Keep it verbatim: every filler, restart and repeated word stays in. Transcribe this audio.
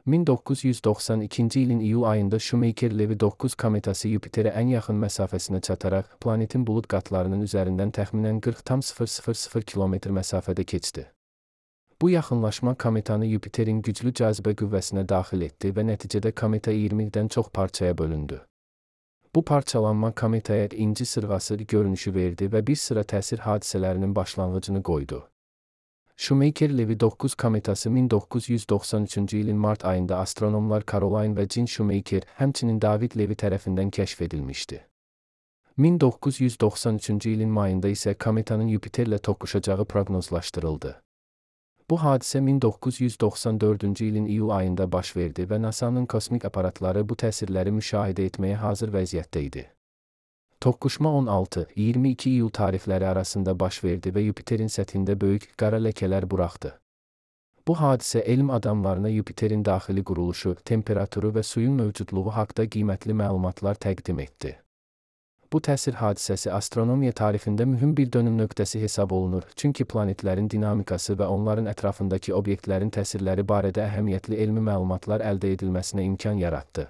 min doqquz yüz doxsan ikinci ilin iyul ayında Shoemaker-Levy doqquz kometası Yupiterə ən yaxın məsafəsinə çataraq planetin bulud qatlarının üzərindən təxminən qırx tam sıfır sıfır sıfır kilometr məsafədə keçdi. Bu yaxınlaşma kometanı Yupiterin güclü cazibə qüvvəsinə daxil etdi və nəticədə kometa iyirmidən çox parçaya bölündü. Bu parçalanma kometaya inci sırğası görünüşü verdi və bir sıra təsir hadisələrinin başlanğıcını qoydu. Shoemaker-Levy doqquz kometası min doqquz yüz doxsan üçüncü ilin mart ayında astronomlar Caroline və Jean Shoemaker, həmçinin David Levy tərəfindən kəşf edilmişdi. min doqquz yüz doxsan üçüncü ilin mayında isə kometanın Yupiterlə toqquşacağı proqnozlaşdırıldı. Bu hadisə min doqquz yüz doxsan dördüncü ilin iyul ayında baş verdi və NASA'nın kosmik aparatları bu təsirləri müşahidə etməyə hazır vəziyyətdə idi. Toqquşma on altı iyirmi iki iyul tarixləri arasında baş verdi və Yupiterin səthində böyük qara ləkələr buraxdı. Bu hadisə elm adamlarına Yupiterin daxili quruluşu, temperaturu və suyun mövcudluğu haqqında qiymətli məlumatlar təqdim etdi. Bu təsir hadisəsi astronomiya tarixində mühüm bir dönüm nöqtəsi hesab olunur, çünki planetlərin dinamikası və onların ətrafındakı obyektlərin təsirləri barədə əhəmiyyətli elmi məlumatlar əldə edilməsinə imkan yaratdı.